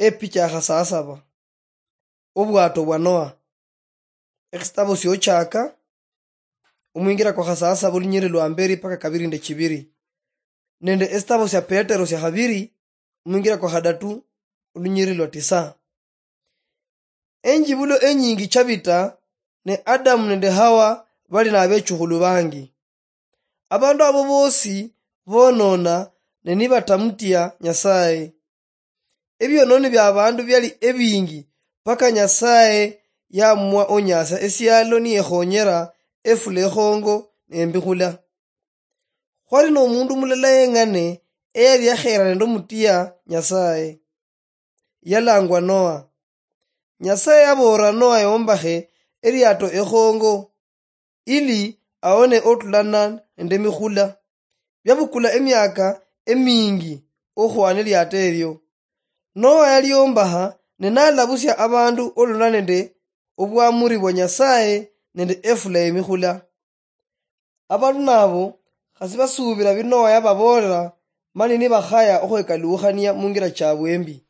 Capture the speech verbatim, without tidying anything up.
Epicha ya khasasaba. Obwato bwa Noa. Ekhisitabo syochaka, omwingira kwa khasasaba olunyiriri lwa mberi paka kabiri nde chibiri, nende esitabo sya Petero sya khabiri, omwingira kwa khadatu, olunyiriri lwa tisa. Enjibulo enyingi chabita, ne Adamu nende Hawa bali nabechukhulu bangi. Abandu abo bosi bonona ne nibatamutia Nyasaye. Ebiononi bia abandu biali ebingi, paka Nyasaye yamwa onyasia esialo niyekhonyera efula ekhongo nembikhula. Khwali nomundu mulala yeng'ane eyali yakhera nende omutia Nyasaye. Yalangwa Noa. Nyasaye yaboolera Noa yombakhe eliato ekhongo, ili aone otulana nende emikhula. Byabukula emiaka emingi okhwana eliato elio. Noa yaliombakha ne nalabusia abandu olulana nende obwamuri bwa Nyasaye nende efula yemikhula. Abandu nabo khasi basuubira bi Noa yababoolera, mani nibakhaya okhwekaluukhania mungira chabwe embi.